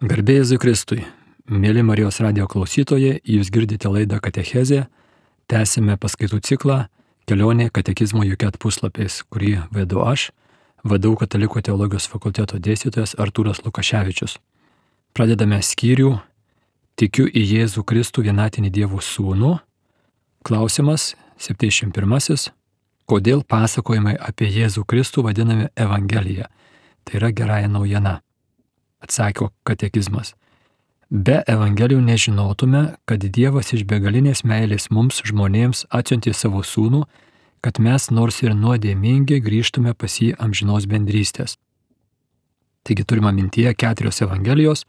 Garbė Jėzui Kristui. Mėly Marijos radijo klausytojai, jūs girdite laidą Katechezė. Tęsime paskaitų ciklą Kelionė katekizmo jokiat puslapiais, kurį vedu aš, VDU Katalikų teologijos fakulteto dėstytojas Artūras Lukaševičius. Pradedame skyrių Tikiu į Jėzų Kristų vienatinį Dievo Sūnų. Klausimas 71. Kodėl pasakojimai apie Jėzų Kristų vadinami Evangelija? Tai yra gerąja naujiena. Atsakė katekizmas. Be Evangelijų nežinotume, kad Dievas iš begalinės meilės mums žmonėms atsiuntė savo sūnų, kad mes nors ir nuodėmingi grįžtume pas jį amžinos bendrystės. Taigi turime mintyje 4 Evangelijos,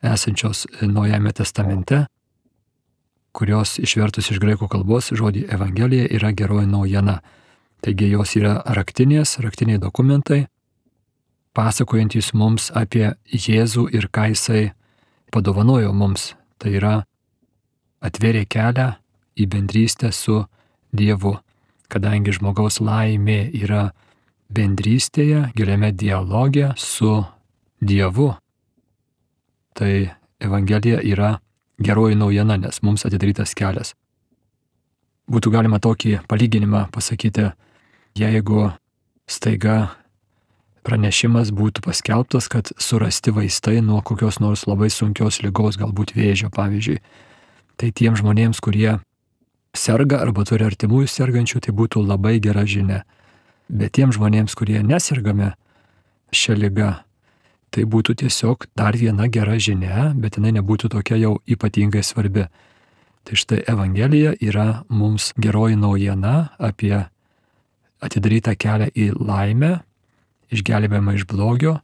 esančios Naujajame testamente, kurios išvertus iš graikų kalbos žodį Evangelija yra geroji naujiena. Taigi jos yra raktiniai dokumentai, pasakojantys mums apie Jėzų ir ką jisai padovanojo mums. Tai yra atvėrė kelią į bendrystę su Dievu, kadangi žmogaus laimė yra bendrystėje, giliame dialoge su Dievu. Tai Evangelija yra geroji naujiena, nes mums atidarytas kelias. Būtų galima tokį palyginimą pasakyti, jeigu staiga pranešimas būtų paskelbtas, kad surasti vaistai nuo kokios nors labai sunkios ligos, galbūt vėžio pavyzdžiui. Tai tiem žmonėms, kurie serga arba turi artimųjų sergančių, tai būtų labai gera žinia. Bet tiem žmonėms, kurie nesergame šią ligą, tai būtų tiesiog dar viena gera žinia, bet jinai nebūtų tokia jau ypatingai svarbi. Tai štai Evangelija yra mums geroji naujiena apie atidarytą kelią į laimę, išgelbėjimą iš blogio,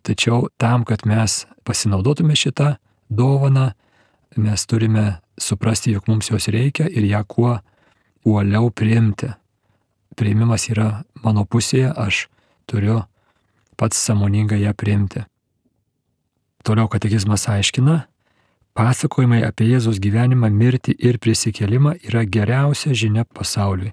tačiau tam, kad mes pasinaudotume šitą dovaną, mes turime suprasti, jog mums jos reikia ir ją kuo uoliau priimti. Priimimas yra mano pusėje, aš turiu pats sąmoningai ją priimti. Toliau katekizmas aiškina, pasakojimai apie Jėzaus gyvenimą, mirtį ir prisikėlimą yra geriausia žinia pasauliui.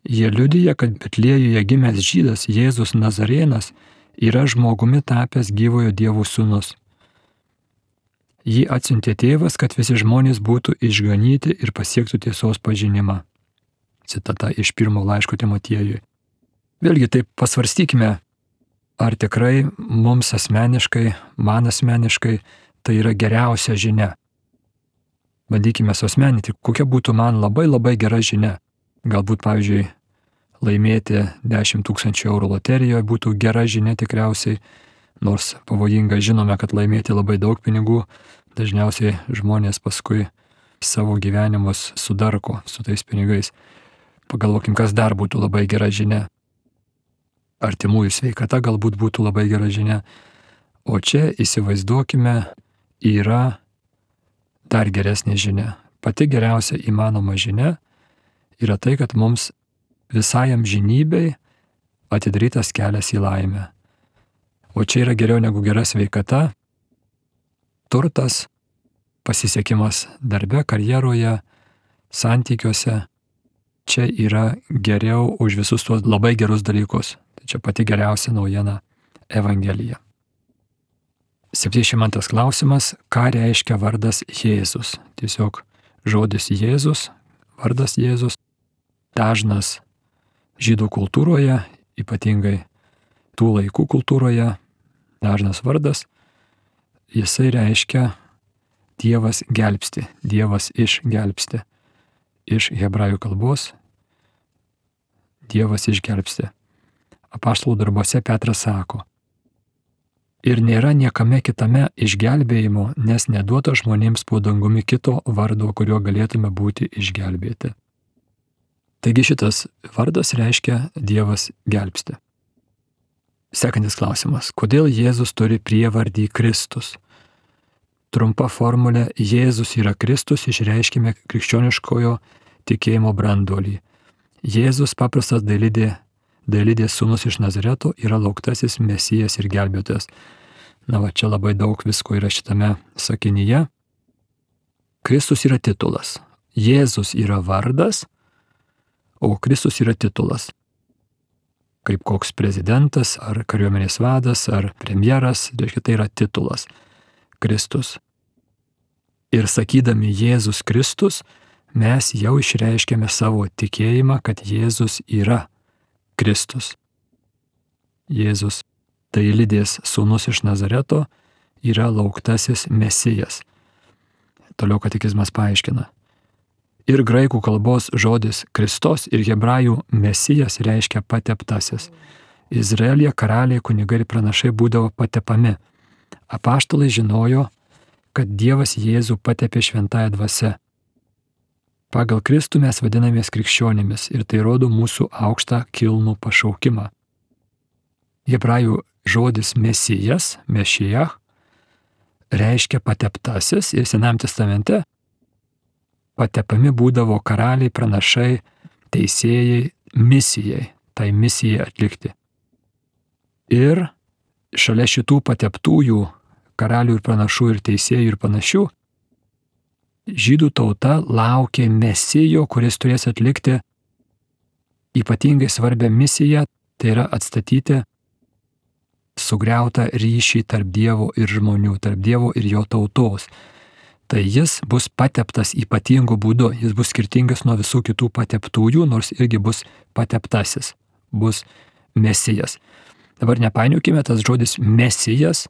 Jie liudija, kad Betliejuje gimęs žydas Jėzus Nazarėnas yra žmogumi tapęs gyvojo Dievo sūnus. Jį atsiuntė tėvas, kad visi žmonės būtų išganyti ir pasiektų tiesos pažinimą. Citata iš 1 laiško Timotiejui. Vėlgi taip pasvarstykime, ar tikrai mums asmeniškai, man asmeniškai tai yra geriausia žinia. Bandykime suasmeninti, kokia būtų man labai gera žinia. Galbūt, pavyzdžiui, laimėti 10 000 eurų loterijoje būtų gera žinia tikriausiai, nors pavojinga, žinome, kad laimėti labai daug pinigų, dažniausiai žmonės paskui savo gyvenimus sudarko su tais pinigais. Pagalvokim, kas dar būtų labai gera žinia. Artimųjų sveikata galbūt būtų labai gera žinia. O čia įsivaizduokime, yra dar geresnė žinia. Pati geriausia įmanoma žinia yra tai, kad mums visai amžinybei atidarytas kelias į laimę. O čia yra geriau negu gera sveikata, turtas, pasisekimas darbe, karjeroje, santykiuose. Čia yra geriau už visus tuos labai gerus dalykus. Tai čia pati geriausia naujiena Evangelija. 72 klausimas. Ką reiškia vardas Jėzus? Tiesiog žodis Jėzus, vardas Jėzus. Dažnas žydų kultūroje, ypatingai tų laikų kultūroje, dažnas vardas, jisai reiškia Dievas gelbsti, Dievas išgelbsti. Iš hebrajų kalbos Dievas išgelbsti. Apaštalų darbuose Petras sako, ir nėra niekame kitame išgelbėjimo, nes neduota žmonėms po dangumi kito vardo, kuriuo galėtume būti išgelbėti. Taigi šitas vardas reiškia Dievas gelbsti. Sekantis klausimas. Kodėl Jėzus turi prievardį Kristus? Trumpa formulė Jėzus yra Kristus išreiškime krikščioniškojo tikėjimo branduolį. Jėzus paprastas dailidės sūnus iš Nazareto yra lauktasis Mesijas ir gelbėtojas. Na va, čia labai daug visko yra šitame sakinyje. Kristus yra titulas. Jėzus yra vardas, o Kristus yra titulas. Kaip koks prezidentas, ar kariuomenės vadas, ar premjeras, tai yra titulas. Kristus. Ir sakydami Jėzus Kristus, mes jau išreiškėme savo tikėjimą, kad Jėzus yra Kristus. Jėzus, tai Lydės sūnus iš Nazareto, yra lauktasis Mesijas. Toliau katekizmas paaiškina. Ir graikų kalbos žodis Kristos ir hebrajų Mesijas reiškia pateptasis. Izraelyje karaliai, kunigai ir pranašai būdavo patepami. Apaštalai žinojo, kad Dievas Jėzų patepė šventąja dvasia. Pagal Kristų mes vadinamės krikščionimis ir tai rodo mūsų aukštą kilnų pašaukimą. Hebrajų žodis Mesijas, Mešiach, reiškia pateptasis ir Senajam testamente patepami būdavo karaliai, pranašai, teisėjai, misijai, tai misijai atlikti. Ir šalia šitų pateptųjų karalių ir pranašų ir teisėjų ir panašių, žydų tauta laukė Mesijo, kuris turės atlikti ypatingai svarbią misiją, tai yra atstatyti sugriautą ryšį tarp Dievo ir žmonių, tarp Dievo ir jo tautos. Tai jis bus pateptas ypatingu būdu, jis bus skirtingas nuo visų kitų pateptųjų, nors irgi bus pateptasis, bus Mesijas. Dabar nepainiokime, tas žodis Mesijas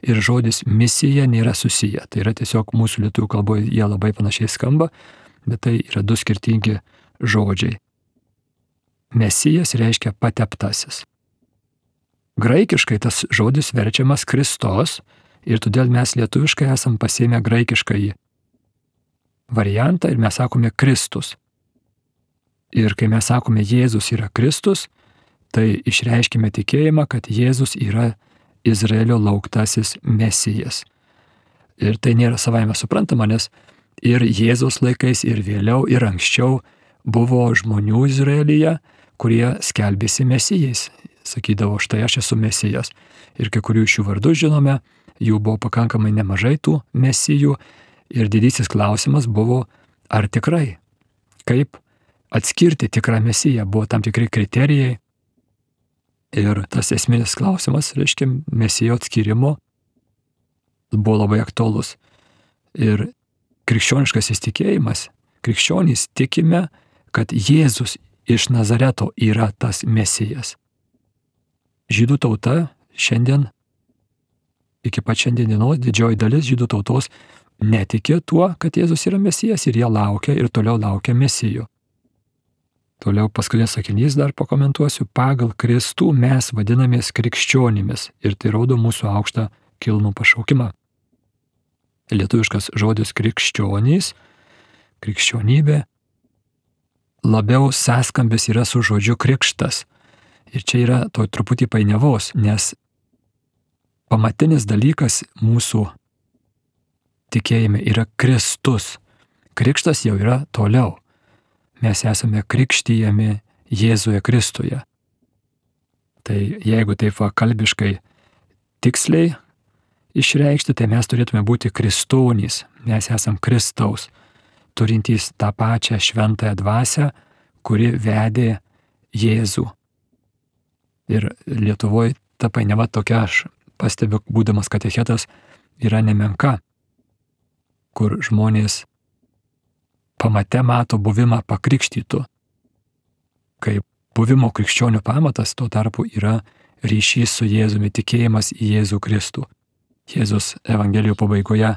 ir žodis misija nėra susiję. Tai yra tiesiog mūsų lietuvių kalboje jie labai panašiai skamba, bet tai yra du skirtingi žodžiai. Mesijas reiškia pateptasis. Graikiškai tas žodis verčiamas Kristos ir todėl mes lietuviškai esam pasiėmę graikiškąjį variantą ir mes sakome Kristus. Ir kai mes sakome Jėzus yra Kristus, tai išreiškime tikėjimą, kad Jėzus yra Izraelio lauktasis Mesijas. Ir tai nėra savaime suprantama, nes ir Jėzaus laikais, ir vėliau, ir anksčiau buvo žmonių Izraelyje, kurie skelbėsi Mesijais. Sakydavo, štai aš esu Mesijas. Ir kai kurių iš jų vardus žinome, jų buvo pakankamai nemažai tų mesijų. Ir didysis klausimas buvo, ar tikrai, kaip atskirti tikrą mesiją, buvo tam tikri kriterijai. Ir tas esminis klausimas, reiškia, mesijo atskirimo buvo labai aktualus. Ir krikščioniškas įsitikėjimas, krikščionys tikime, kad Jėzus iš Nazareto yra tas mesijas. Žydų tauta šiandien, iki pat šiandienos didžioji dalis žydų tautos netiki tuo, kad Jėzus yra mesijas ir jie laukia ir toliau laukia mesijų. Toliau paskutinis sakinys dar pakomentuosiu. Pagal Kristų mes vadinamės krikščionimis ir tai rodo mūsų aukštą kilnų pašaukimą. Lietuviškas žodis krikščionys, krikščionybė, labiau sąskambis yra su žodžiu krikštas. Ir čia yra to truputį painiavos, nes pamatinis dalykas mūsų tikėjime yra Kristus. Krikštas jau yra toliau. Mes esame krikštijami Jėzuje Kristuje. Tai jeigu taip kalbiškai tiksliai išreikšti, tai mes turėtume būti kristonys. Mes esam Kristaus, turintys tą pačią šventąją dvasią, kuri vedė Jėzų. Ir Lietuvoje ta painiava tokia, aš pastebiu, būdamas katechetas, yra nemenka, kur žmonės pamate mato buvimą pakrikštytų. Kai buvimo krikščionių pamatas tuo tarpu yra ryšys su Jėzumi, tikėjimas į Jėzų Kristų. Jėzus Evangelijų pabaigoje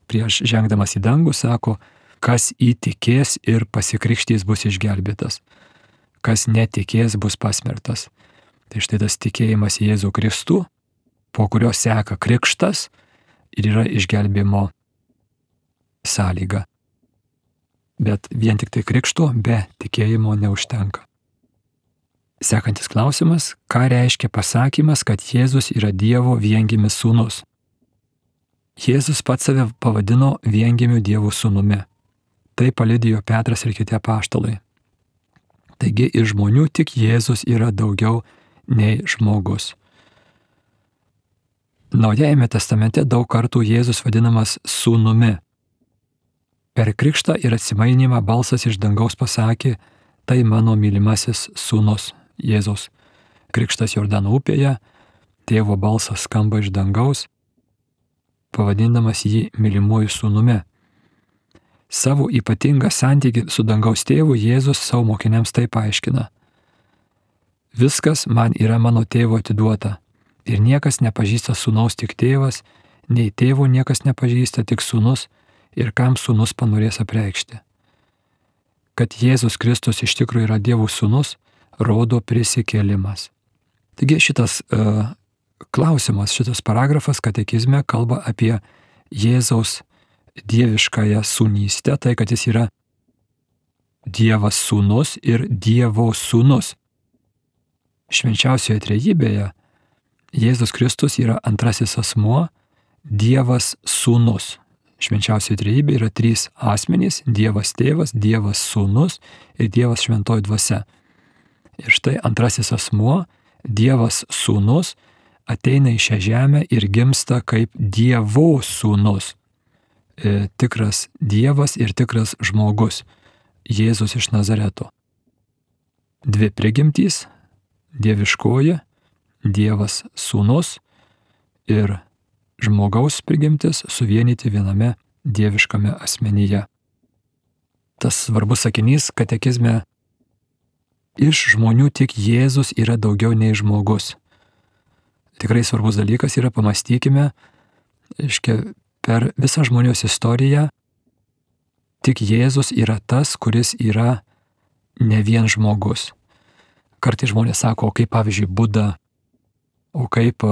prieš žengdamas į dangų sako, kas įtikės ir pasikrikštys bus išgelbėtas, kas netikės bus pasmertas. Tai štai tas tikėjimas į Jėzų Kristų, po kurio seka krikštas ir yra išgelbėjimo sąlyga. Bet vien tik tai krikšto be tikėjimo neužtenka. Sekantis klausimas, ką reiškia pasakymas, kad Jėzus yra Dievo viengimis sūnus? Jėzus pats save pavadino viengimiu Dievo sūnumi. Tai paliudijo Petras ir kiti apaštalai. Taigi iš žmonių tik Jėzus yra daugiau nei žmogus. Naujajame testamente daug kartų Jėzus vadinamas sūnumi. Per krikštą ir atsimainymą balsas iš dangaus pasakė, tai mano mylimasis sūnus Jėzus. Krikštas Jordano upėje, tėvo balsas skamba iš dangaus. pavadindamas jį mylimuoju sūnumi. Savo ypatingą santykį su dangaus tėvu Jėzus savo mokiniams taip aiškina. Viskas man yra mano tėvo atiduota ir niekas nepažįsta sūnaus tik tėvas, nei tėvo niekas nepažįsta tik sūnus ir kam sūnus panorės apreikšti. Kad Jėzus Kristus iš tikrųjų yra Dievo sūnus, rodo prisikėlimas. Taigi šitas klausimas, šitas paragrafas katekizme kalba apie Jėzaus dieviškąją sūnystę, tai kad jis yra Dievas sūnus ir Dievo sūnus. Švenčiausioje trejybėje Jėzus Kristus yra antrasis asmuo, Dievas sūnus. Švenčiausioje trejybėje yra 3 asmenys – Dievas tėvas, Dievas sūnus ir Dievas šventoji dvasia. Ir štai antrasis asmuo, Dievas sūnus, ateina į šią žemę ir gimsta kaip Dievo sūnus. Tikras Dievas ir tikras žmogus, Jėzus iš Nazareto. 2 prigimtys, dieviškoji, Dievas sūnus ir žmogaus prigimtis suvienyti viename dieviškame asmenyje. Tas svarbus sakinys katekizme: iš žmonių tik Jėzus yra daugiau nei žmogus. Tikrai svarbus dalykas yra, pamastykime, per visą žmonijos istoriją tik Jėzus yra tas, kuris yra ne vien žmogus. Kartais žmonės sako, o kaip pavyzdžiui Buda, o kaip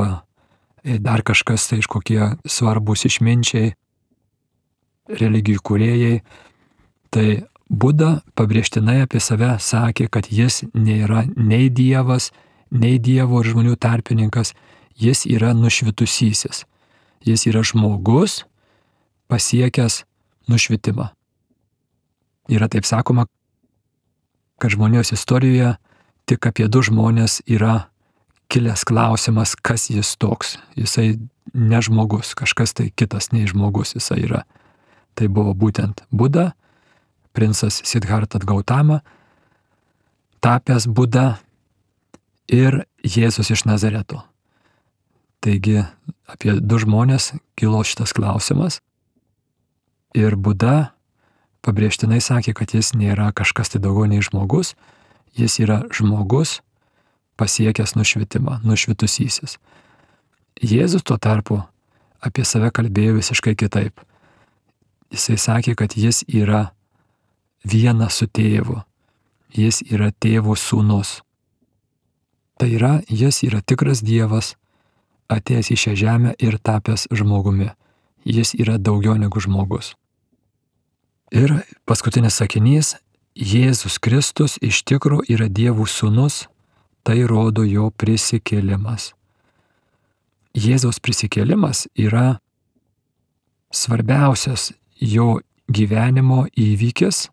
dar kažkas, tai kokie svarbus išminčiai, religijų kūrėjai. Tai Buda pabrėžtinai apie save sakė, kad jis nėra nei Dievas, nei Dievo ir žmonių tarpininkas, jis yra nušvitusysis. Jis yra žmogus pasiekęs nušvitimą. Yra taip sakoma, kad žmonijos istorijoje tik apie 2 žmonės yra kilęs klausimas, kas jis toks. Jisai ne žmogus, kažkas tai kitas nei žmogus jisai yra. Tai buvo būtent Buda, princas Siddhartha Gautama, tapęs Buda, ir Jėzus iš Nazareto. Taigi apie 2 žmonės kilo šitas klausimas. Ir Buda pabrėžtinai sakė, kad jis nėra kažkas tai daugiau nei žmogus, jis yra žmogus pasiekęs nušvitimą, nušvitusysis. Jėzus tuo tarpu apie save kalbėjo visiškai kitaip. Jisai sakė, kad jis yra vienas su tėvu. Jis yra tėvo sūnus. Tai yra, jis yra tikras Dievas, atėjęs į šią žemę ir tapęs žmogumi. Jis yra daugiau negu žmogus. Ir paskutinis sakinys: Jėzus Kristus iš tikrųjų yra Dievo sūnus, tai rodo jo prisikėlimas. Jėzaus prisikėlimas yra svarbiausias jo gyvenimo įvykis,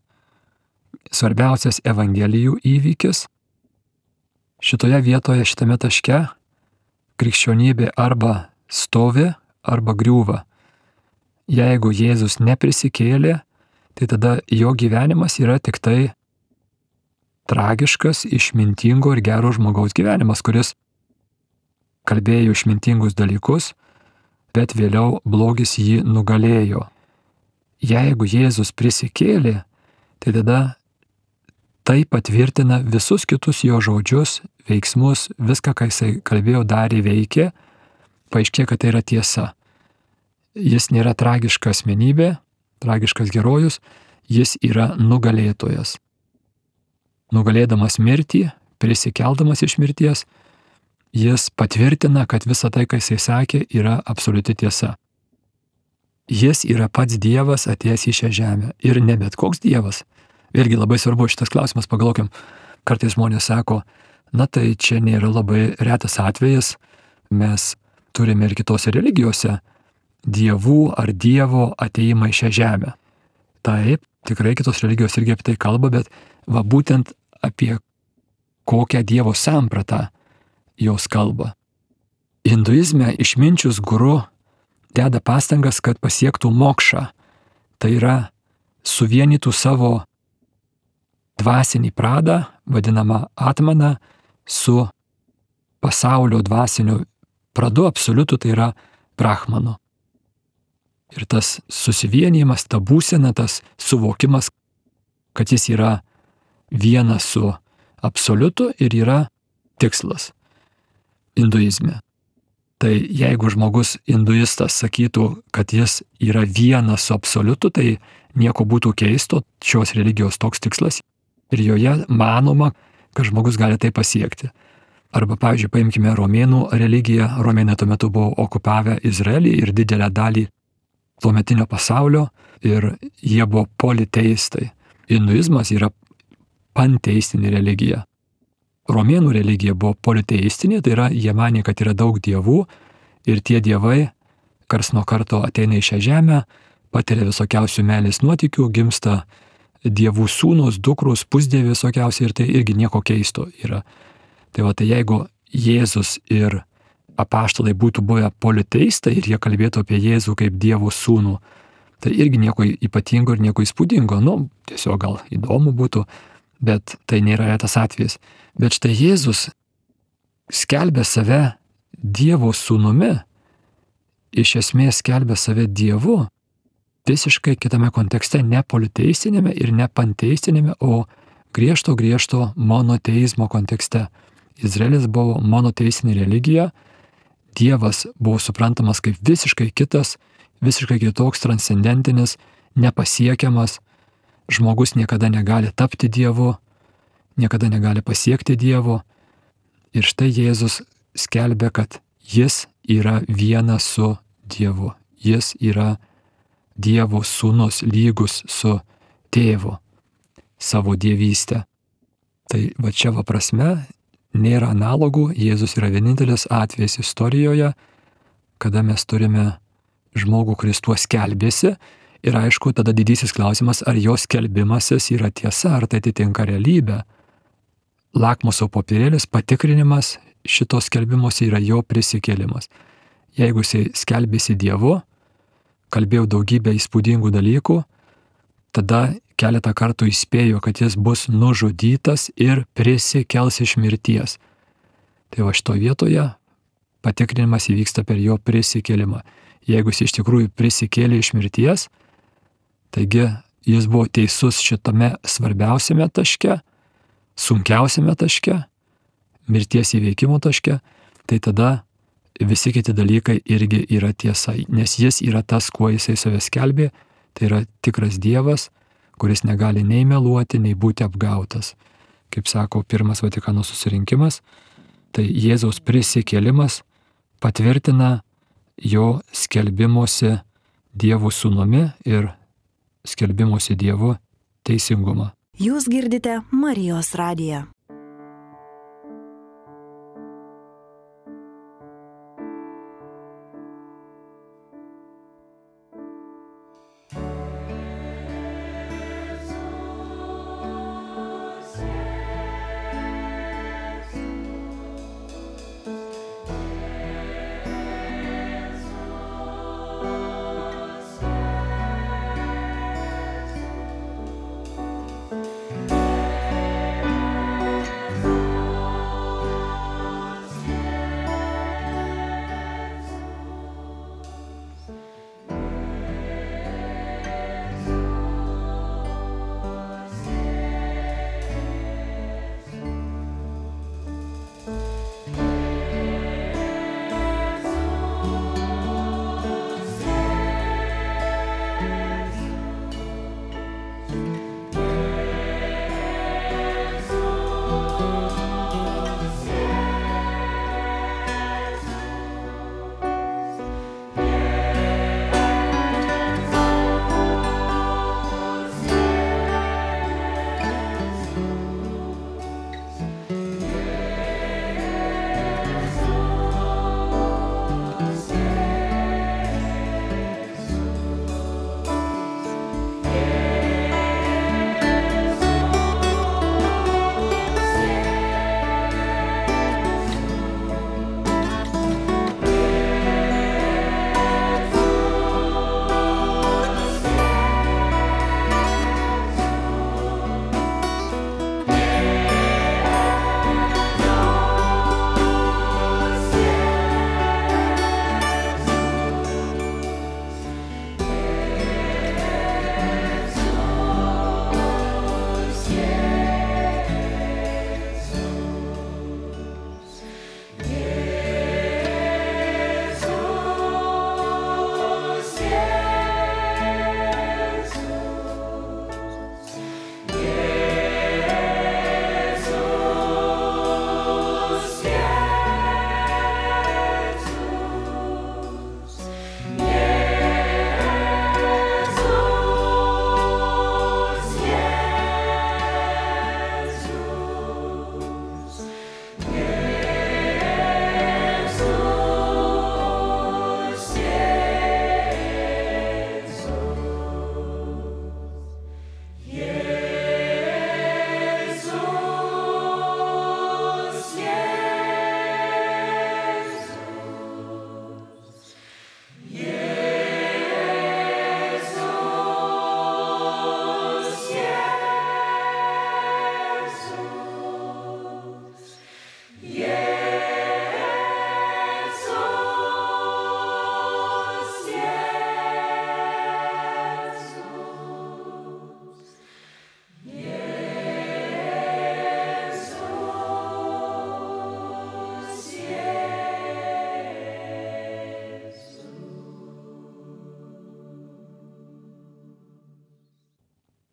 svarbiausias Evangelijų įvykis. Šitoje vietoje, šitame taške krikščionybė arba stovi, arba griūva. Jeigu Jėzus neprisikėlė, tai tada jo gyvenimas yra tik tai tragiškas, išmintingo ir gero žmogaus gyvenimas, kuris kalbėjo išmintingus dalykus, bet vėliau blogis jį nugalėjo. Jeigu Jėzus prisikėlė, tai tada tai patvirtina visus kitus jo žodžius, veiksmus, viską, ką jisai kalbėjo, darė, veikė, paaiškėjo, kad tai yra tiesa. Jis nėra tragiška asmenybė, tragiškas herojus, jis yra nugalėtojas. Nugalėdamas mirtį, prisikeldamas iš mirties, jis patvirtina, kad visa tai, ką jisai sakė, yra absoliuti tiesa. Jis yra pats Dievas atėjęs į šią žemę. Ir ne bet koks Dievas. Vėlgi labai svarbu šitas klausimas, pagalvokim, kartais žmonės sako, na tai čia nėra labai retas atvejis, mes turime ir kitose religijose dievų ar Dievo atėjimą į šią žemę. Taip, tikrai kitos religijos irgi apie tai kalba, bet va būtent apie kokią Dievo sampratą jos kalba. Hinduizme išminčius guru deda pastangas, kad pasiektų mokšą. Tai yra suvienytų savo dvasinį pradą, vadinamą atmaną, su pasaulio dvasiniu pradu absoliutu, tai yra brahmanu. Ir tas susivienijimas, ta būsena, tas suvokimas, kad jis yra vienas su absoliutu ir yra tikslas hinduizme. Tai jeigu žmogus hinduistas sakytų, kad jis yra vienas su absoliutu, tai nieko būtų keisto, šios religijos toks tikslas ir joje manoma, kad žmogus gali tai pasiekti. Arba, pavyzdžiui, paimkime romėnų religiją. Romėnai tuo metu buvo okupavę Izraelį ir didelę dalį tuometinio pasaulio ir jie buvo politeistai. Hinduizmas yra panteistinė religija. Romėnų religija buvo politeistinė, tai yra jie manė, kad yra daug dievų ir tie dievai karts nuo karto ateina į šią žemę, patiria visokiausių meilės nuotykių, gimsta dievų sūnus, dukrus, pusdieviai visokiausiai ir tai irgi nieko keisto yra. Tai va, tai jeigu Jėzus ir apaštalai būtų buvę politeistai ir jie kalbėtų apie Jėzų kaip Dievo sūnų, tai irgi nieko ypatingo ir nieko įspūdingo, tiesiog gal įdomu būtų, bet tai nėra retas atvejis. Bet štai Jėzus skelbia save Dievo sūnumi, iš esmės skelbia save Dievu, visiškai kitame kontekste, ne politeistinėme ir ne panteistinėme, o griežto monoteizmo kontekste. Izraelis buvo monoteistinė religija, Dievas buvo suprantamas kaip visiškai kitas, visiškai kitoks, transcendentinis, nepasiekiamas, žmogus niekada negali tapti Dievu, niekada negali pasiekti Dievo. Ir štai Jėzus skelbia, kad jis yra vienas su Dievu, jis yra Dievo sūnus, lygus su tėvu, savo dievystę. Tai va čia va prasme nėra analogų, Jėzus yra vienintelis atvejis istorijoje, kada mes turime žmogų, kuris tuo skelbėsi ir aišku, tada didysis klausimas, ar jo skelbimasis yra tiesa, ar tai atitinka realybę. Lakmuso popierėlis, patikrinimas šito skelbimosi yra jo prisikėlimas. Jeigu jisai skelbėsi Dievu, kalbėjau daugybę įspūdingų dalykų, tada keletą kartų įspėjo, kad jis bus nužudytas ir prisikels iš mirties. Tai va šitoje vietoje patikrinimas įvyksta per jo prisikėlimą. Jeigu jis iš tikrųjų prisikėlė iš mirties, taigi jis buvo teisus šitame svarbiausiame taške, sunkiausiame taške, mirties įveikimo taške, tai tada visi kiti dalykai irgi yra tiesa, nes jis yra tas, kuo jisai save skelbė, tai yra tikras Dievas, kuris negali nei meluoti, nei būti apgautas. Kaip sako Pirmas Vatikano susirinkimas, tai Jėzaus prisikėlimas patvirtina jo skelbimuose Dievo sūnumi ir skelbimuose Dievu teisingumą. Jūs girdite Marijos radiją.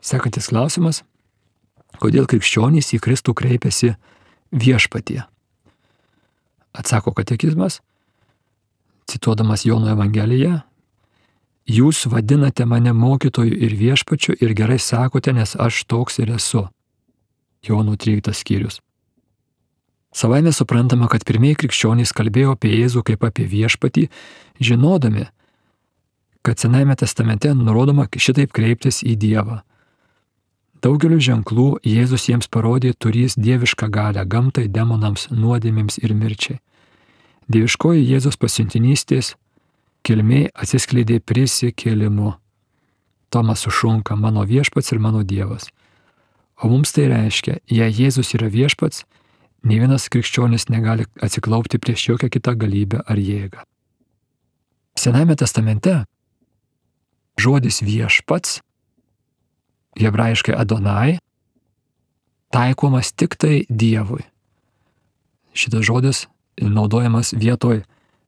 Sekantis klausimas. Kodėl krikščionys į Kristų kreipiasi viešpatie? Atsako katekizmas, cituodamas Jono Evangeliją, jūs vadinate mane mokytoju ir viešpačiu ir gerai sakote, nes aš toks ir esu. Jono 13 skyrius. Savaime suprantama, kad pirmieji krikščionys kalbėjo apie Jėzų kaip apie viešpatį, žinodami, kad Senajame testamente nurodoma šitaip kreiptis į Dievą. Daugeliu ženklų Jėzus jiems parodė turys dievišką galią gamtai, demonams, nuodėmėms ir mirčiai. Dieviškoji Jėzus pasiuntinystės kilmė atsiskleidė prisikėlimu. Tomas sušunka, mano viešpats ir mano Dievas. O mums tai reiškia, jei Jėzus yra viešpats, nei vienas krikščionis negali atsiklaupti prieš jokią kitą galybę ar jėgą. Senajame testamente žodis viešpats, hebrajiškai Adonai, taikomas tik tai Dievui. Šitas žodis naudojamas vietoj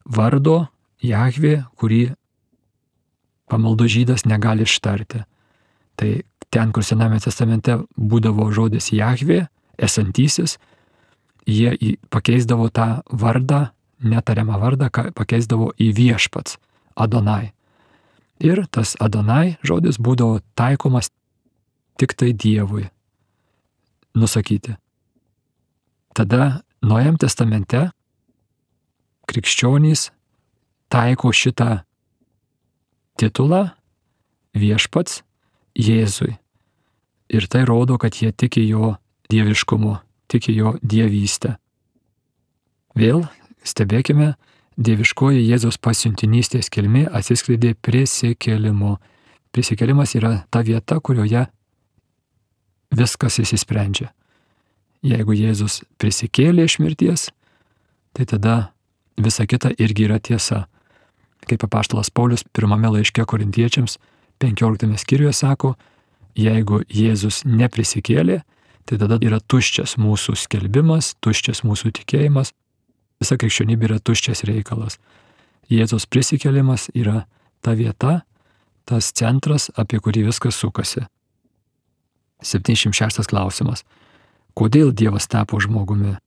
vardo Jahvė, kurį pamaldų žydas negali ištarti. Tai ten, kur Sename testamente būdavo žodis Jahvė, esantysis, jie pakeisdavo tą vardą, netariamą vardą, pakeisdavo į viešpats, Adonai. Ir tas Adonai žodis būdavo taikomas tik tai Dievui nusakyti. Tada Naujam testamente krikščionys taiko šitą titulą viešpats Jėzui. Ir tai rodo, kad jie tiki jo dieviškumu, tiki jo dievystę. Vėl stebėkime, dieviškoji Jėzaus pasiuntinystės kilmė atsiskleidė prisikėlimu. Prisikėlimas yra ta vieta, kurioje viskas išsisprendžia. Jeigu Jėzus prisikėlė iš mirties, tai tada visa kita irgi yra tiesa. Kaip apaštalas Paulius pirmame laiške Korintiečiams 15 skyriuje sako, jeigu Jėzus neprisikėlė, tai tada yra tuščias mūsų skelbimas, tuščias mūsų tikėjimas, visa krikščionybė yra tuščias reikalas. Jėzaus prisikėlimas yra ta vieta, tas centras, apie kurį viskas sukasi. 76 klausimas. Kodėl Dievas tapo žmogumi?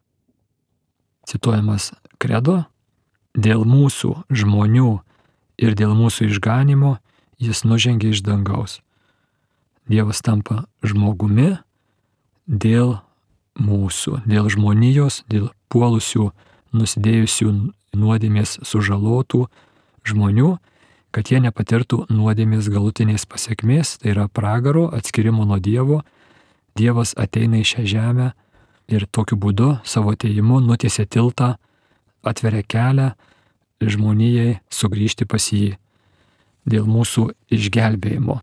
Cituojamas kredo, dėl mūsų žmonių ir dėl mūsų išganimo jis nužengė iš dangaus. Dievas tampa žmogumi dėl mūsų, dėl žmonijos, dėl puolusių, nusidėjusių nuodėmės sužalotų žmonių, kad jie nepatirtų nuodėmės galutinės pasekmės, tai yra pragaro, atskirimo nuo Dievo. Dievas ateina į šią žemę ir tokiu būdu savo atėjimu nutiesia tiltą, atveria kelią žmonijai sugrįžti pas jį dėl mūsų išgelbėjimo.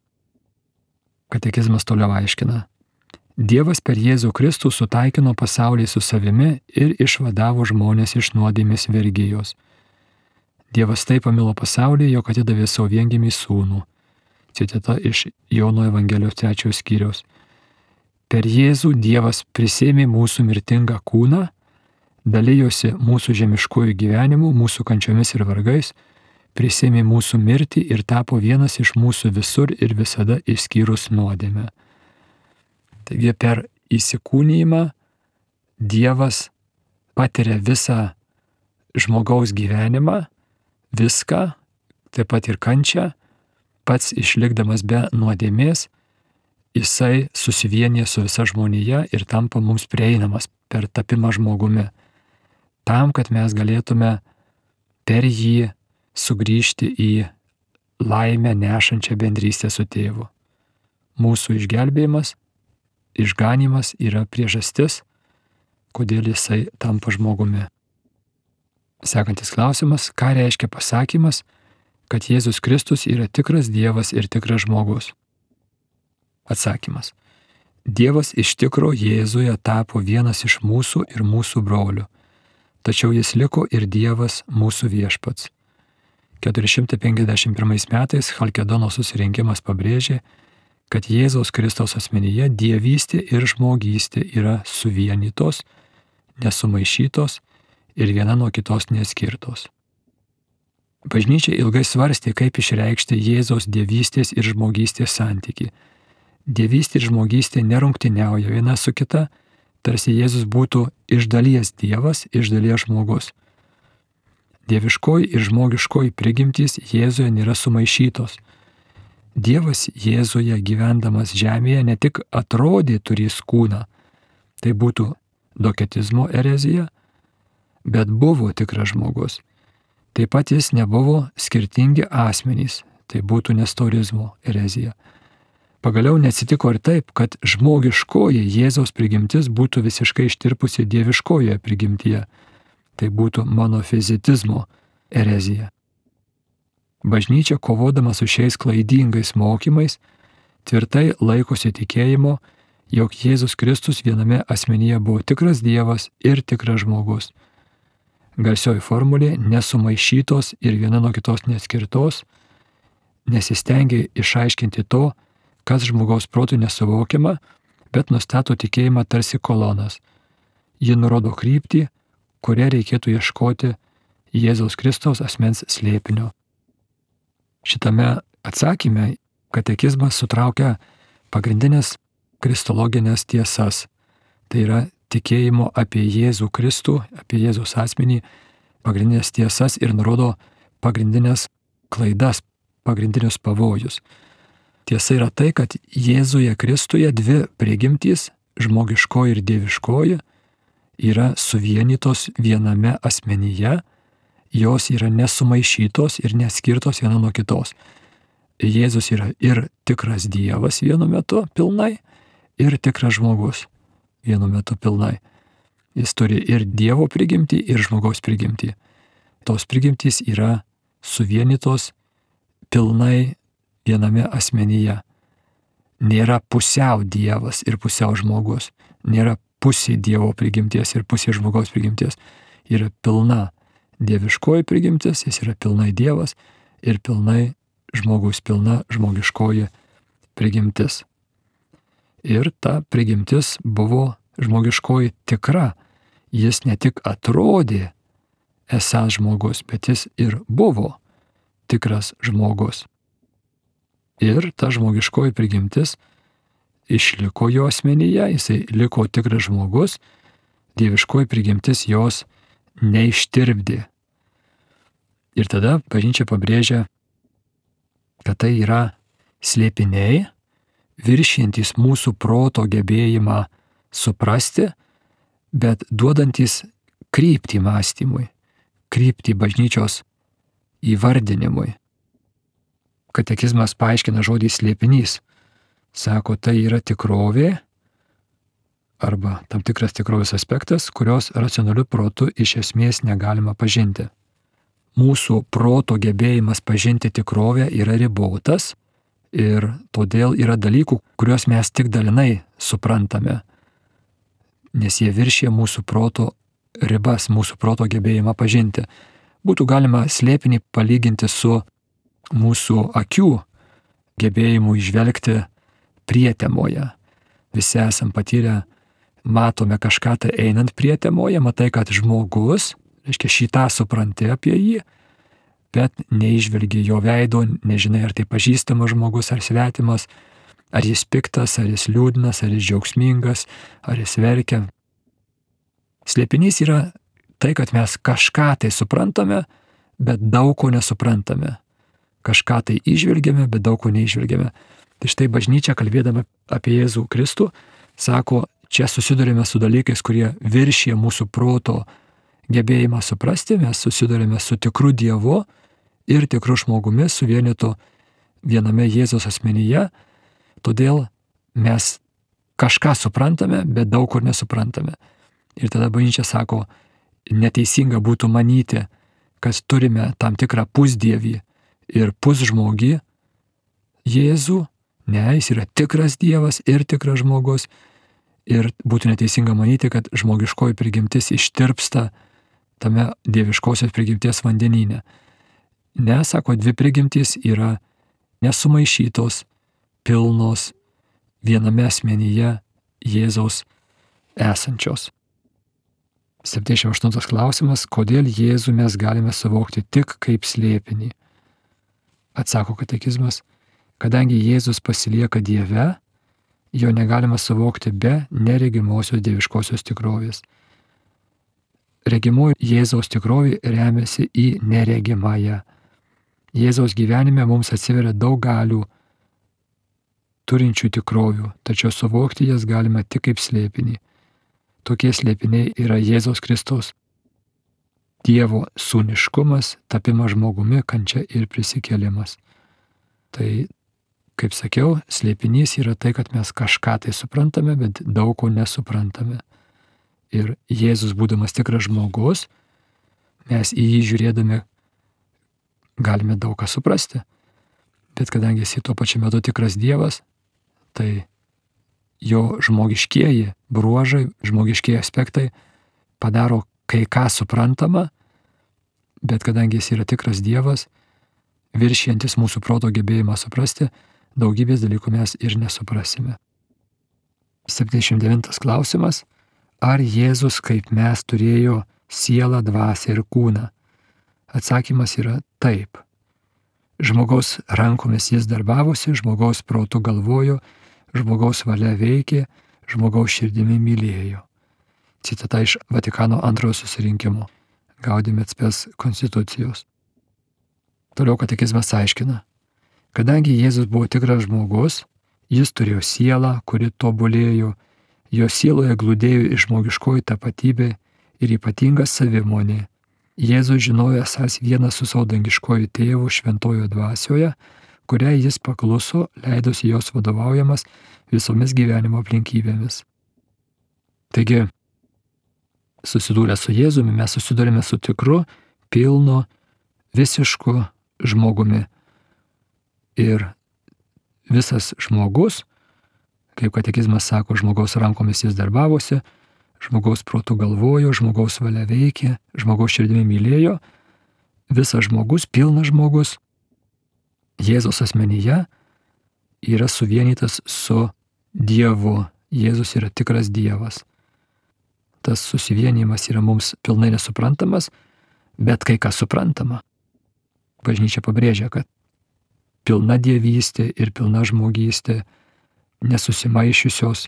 Katekizmas toliau aiškina. Dievas per Jėzų Kristų sutaikino pasaulį su savimi ir išvadavo žmonės iš nuodėmės vergijos. Dievas taip pamilo pasaulį, jog atidavė savo viengimį sūnų. Citata iš Jono Evangelijos 3 skyriaus. Per Jėzų Dievas prisėmė mūsų mirtingą kūną, dalijosi mūsų žemiškojų gyvenimu, mūsų kančiomis ir vargais, prisėmė mūsų mirtį ir tapo vienas iš mūsų visur ir visada išskyrus nuodėmę. Taigi per įsikūnijimą Dievas patiria visą žmogaus gyvenimą, viską, taip pat ir kančią, pats išlikdamas be nuodėmės, jisai susivienyje su visa žmonija ir tampa mums prieinamas per tapimą žmogumi. Tam, kad mes galėtume per jį sugrįžti į laimę nešančią bendrystę su tėvu. Mūsų išgelbėjimas, išganymas yra priežastis, kodėl jisai tampa žmogumi. Sekantis klausimas, ką reiškia pasakymas, kad Jėzus Kristus yra tikras Dievas ir tikras žmogus? Atsakymas. Dievas iš tikro Jėzuje tapo vienas iš mūsų ir mūsų brolių, tačiau jis liko ir Dievas mūsų viešpats. 451 metais Chalkedono susirinkimas pabrėžė, kad Jėzaus Kristaus asmenyje dievystė ir žmogystė yra suvienytos, nesumaišytos ir viena nuo kitos neatskirtos. Bažnyčia ilgai svarstė, kaip išreikšti Jėzaus dievystės ir žmogystės santykį. Dievystė ir žmogystė nerungtyniauja viena su kita, tarsi Jėzus būtų iš dalies Dievas, iš dalies žmogus. Dieviškoji ir žmogiškoji prigimtys Jėzuje nėra sumaišytos. Dievas Jėzuje gyvendamas žemėje ne tik atrodė turės kūną, tai būtų doketizmo erezija, bet buvo tikras žmogus. Taip pat jis nebuvo skirtingi asmenys, tai būtų nestorizmo erezija. Pagaliau neatsitiko ir taip, kad žmogiškoji Jėzaus prigimtis būtų visiškai ištirpusi dieviškojoje prigimtyje, tai būtų monofizitizmo erezija. Bažnyčia, kovodama su šiais klaidingais mokymais, tvirtai laikosi tikėjimo, jog Jėzus Kristus viename asmenyje buvo tikras Dievas ir tikras žmogus. Garsioji formulė nesumaišytos ir viena nuo kitos neatskirtos, nesistengia išaiškinti to, kas žmogaus protų nesuvokiama, bet nustato tikėjimą tarsi kolonas. Ji nurodo kryptį, kuria reikėtų ieškoti Jėzaus Kristaus asmens slėpinio. Šitame atsakyme katekizmas sutraukia pagrindinės kristologinės tiesas. Tai yra tikėjimo apie Jėzų Kristų, apie Jėzaus asmenį, pagrindinės tiesas ir nurodo pagrindinės klaidas, pagrindinius pavojus. Tiesa yra tai, kad Jėzuje Kristuje dvi prigimtys, žmogiškoji ir dieviškoji, yra suvienytos viename asmenyje, jos yra nesumaišytos ir neskirtos viena nuo kitos. Jėzus yra ir tikras Dievas vienu metu pilnai, ir tikras žmogus vienu metu pilnai. Jis turi ir Dievo prigimtį, ir žmogaus prigimtį. Tos prigimtys yra suvienytos pilnai viename asmenyje. Nėra pusiau Dievas ir pusiau žmogus. Nėra pusė Dievo prigimties ir pusė žmogaus prigimties. Yra pilna dieviškoji prigimtis, jis yra pilnai Dievas ir pilnai žmogus, pilna žmogiškoji prigimtis. Ir ta prigimtis buvo žmogiškoji tikra. Jis ne tik atrodė esąs žmogus, bet jis ir buvo tikras žmogus. Ir ta žmogiškoji prigimtis išliko jo asmenyje, jisai liko tikras žmogus, dieviškoji prigimtis jos neištirpdė. Ir tada bažnyčia pabrėžia, kad tai yra slėpiniai, viršijantys mūsų proto gebėjimą suprasti, bet duodantys kryptį mąstymui, kryptį bažnyčios įvardinimui. Katekizmas paaiškina žodį slėpinys. Sako, tai yra tikrovė arba tam tikras tikrovės aspektas, kurios racionaliu protu iš esmės negalima pažinti. Mūsų proto gebėjimas pažinti tikrovę yra ribotas ir todėl yra dalykų, kuriuos mes tik dalinai suprantame, nes jie viršija mūsų proto ribas, mūsų proto gebėjimą pažinti. Būtų galima slėpinį palyginti su mūsų akių gebėjimu įžvelgti prietemoje. Visi esam patyrę, matome kažką tai einant prietemoje, matai, kad žmogus, reiškia šitą supranti apie jį, bet neižvelgi jo veido, nežinai, ar tai pažįstamas žmogus, ar svetimas, ar jis piktas, ar jis liūdnas, ar jis džiaugsmingas, ar jis verkia. Slėpinys yra tai, kad mes kažką tai suprantame, bet daug ko nesuprantame. Kažką tai įžvelgiame, bet daug ko neižvelgiame. Tai štai bažnyčia, kalbėdama apie Jėzų Kristų, sako, čia susidurime su dalykais, kurie viršija mūsų proto gebėjimą suprasti, mes susidurime su tikru Dievu ir tikru žmogumi, suvienytu viename Jėzaus asmenyje, todėl mes kažką suprantame, bet daug kur nesuprantame. Ir tada bažnyčia sako, neteisinga būtų manyti, kad turime tam tikrą pusdievį ir pusžmogį Jėzų. Ne, jis yra tikras Dievas ir tikras žmogus. Ir būtų neteisinga manyti, kad žmogiškoji prigimtis ištirpsta tame dieviškosios prigimties vandenyne. Ne, sako, dvi prigimtys yra nesumaišytos, pilnos, viename asmenyje Jėzaus esančios. 78 klausimas, kodėl Jėzų mes galime suvokti tik kaip slėpinį? Atsako katekizmas, kadangi Jėzus pasilieka Dieve, jo negalima suvokti be neregimosios dieviškosios tikrovės. Regimoji Jėzaus tikrovė remiasi į neregimąją. Jėzaus gyvenime mums atsiveria daug galių turinčių tikrovių, tačiau suvokti jas galima tik kaip slėpinį. Tokie slėpiniai yra Jėzaus Kristaus Dievo sūniškumas, tapimas žmogumi, kančia ir prisikėlimas. Tai, kaip sakiau, slėpinys yra tai, kad mes kažką tai suprantame, bet daug ko nesuprantame. Ir Jėzus, būdamas tikras žmogus, mes į jį žiūrėdami galime daug ką suprasti. Bet kadangi jis tuo pačiu metu tikras Dievas, tai jo žmogiškieji bruožai, žmogiškieji aspektai padaro kai ką suprantama, bet kadangi jis yra tikras Dievas, viršijantis mūsų proto gebėjimą suprasti, daugybės dalykų mes ir nesuprasime. 79 klausimas. Ar Jėzus kaip mes turėjo sielą, dvasią ir kūną? Atsakymas yra taip. Žmogaus rankomis jis darbavosi, žmogaus protu galvojo, žmogaus valia veikė, žmogaus širdimi mylėjo. Citata iš Vatikano antrojo susirinkimo, Gaudium et Spes konstitucijos. Toliau katekizmas aiškina. Kadangi Jėzus buvo tikras žmogus, jis turėjo sielą, kuri tobulėjo, jo sieloje glūdėjo žmogiškoji tapatybė ir ypatinga savimonė. Jėzus žinojo esąs vienas su savo dangiškoju tėvu šventojo dvasioje, kuriai jis pakluso, leidosi jos vadovaujamas visomis gyvenimo aplinkybėmis. Taigi, susidūrę su Jėzumi, mes susidūrėme su tikru, pilnu, visišku žmogumi. Ir visas žmogus, kaip katekizmas sako, žmogaus rankomis jis darbavosi, žmogaus protu galvojo, žmogaus valia veikė, žmogaus širdimi mylėjo, visas žmogus, pilnas žmogus, Jėzaus asmenyje yra suvienytas su Dievu. Jėzus yra tikras Dievas. Tas susivienijimas yra mums pilnai nesuprantamas, bet kai kas suprantama. Bažnyčia pabrėžia, kad pilna dievystė ir pilna žmogystė, nesusimaišiusios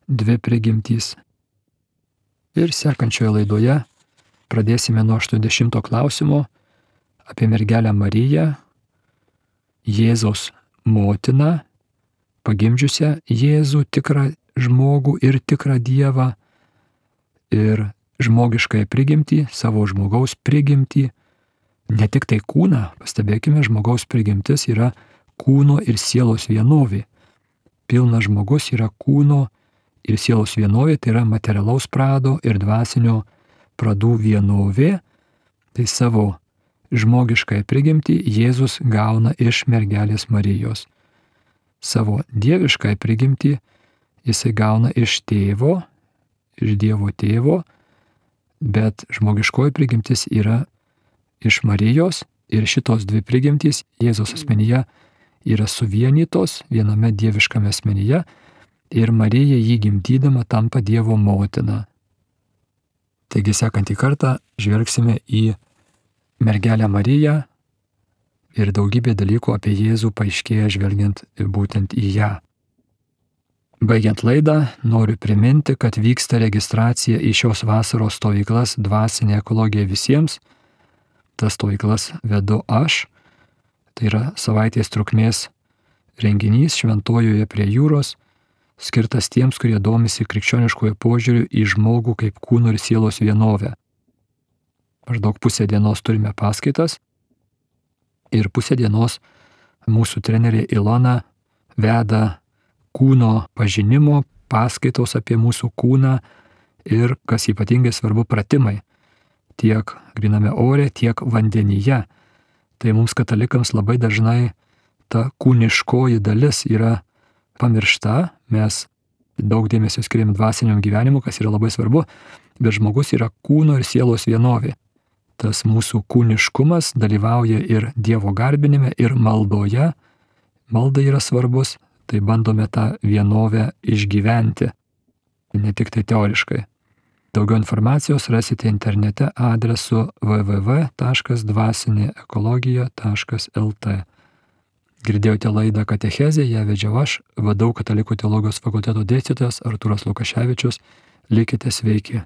dvi prigimtys. Ir sekančioje laidoje pradėsime nuo 80 klausimo apie mergelę Mariją, Jėzaus motiną, pagimdžiusią Jėzų, tikrą žmogų ir tikrą Dievą, ir žmogiškąją prigimtį, savo žmogaus prigimtį, ne tik tai kūną, pastebėkime, žmogaus prigimtis yra kūno ir sielos vienovė. Pilnas žmogus yra kūno ir sielos vienovė, tai yra materialaus prado ir dvasinio pradų vienovė. Tai savo žmogiškąją prigimtį Jėzus gauna iš mergelės Marijos. Savo dieviškąją prigimtį jisai gauna iš tėvo, iš Dievo tėvo, bet žmogiškoji prigimtis yra iš Marijos ir šitos dvi prigimtys Jėzaus asmenyje yra suvienytos viename dieviškame asmenyje ir Marija jį gimdydama tampa Dievo motina. Taigi sekantį kartą žvelgsime į mergelę Mariją ir daugybė dalykų apie Jėzų paaiškėja žvelgiant būtent į ją. Baigiant laidą, noriu priminti, kad vyksta registracija į šios vasaros stovyklas Dvasinė ekologija visiems. Tas stovyklas vedu aš. Tai yra savaitės trukmės renginys Šventojoje prie jūros, skirtas tiems, kurie domisi krikščioniškojo požiūriu į žmogų kaip kūno ir sielos vienovę. Maždaug pusę dienos turime paskaitas ir pusę dienos mūsų trenerė Ilona veda kūno pažinimo paskaitos apie mūsų kūną ir, kas ypatingai svarbu, pratimai. Tiek gryname ore, tiek vandenyje. Tai mums katalikams labai dažnai ta kūniškoji dalis yra pamiršta. Mes daug dėmesio skiriam dvasiniam gyvenimui, kas yra labai svarbu, bet žmogus yra kūno ir sielos vienovė. Tas mūsų kūniškumas dalyvauja ir Dievo garbinime, ir maldoje. Malda yra svarbus, tai bandome tą vienovę išgyventi, ne tik tai teoriškai. Daugiau informacijos rasite internete adresu www.dvasineekologija.lt. Girdėjote laidą Katechezė, ją vedžiau aš, VDU Katalikų teologijos fakulteto dėstytojas Artūras Lukaševičius. Likite sveiki.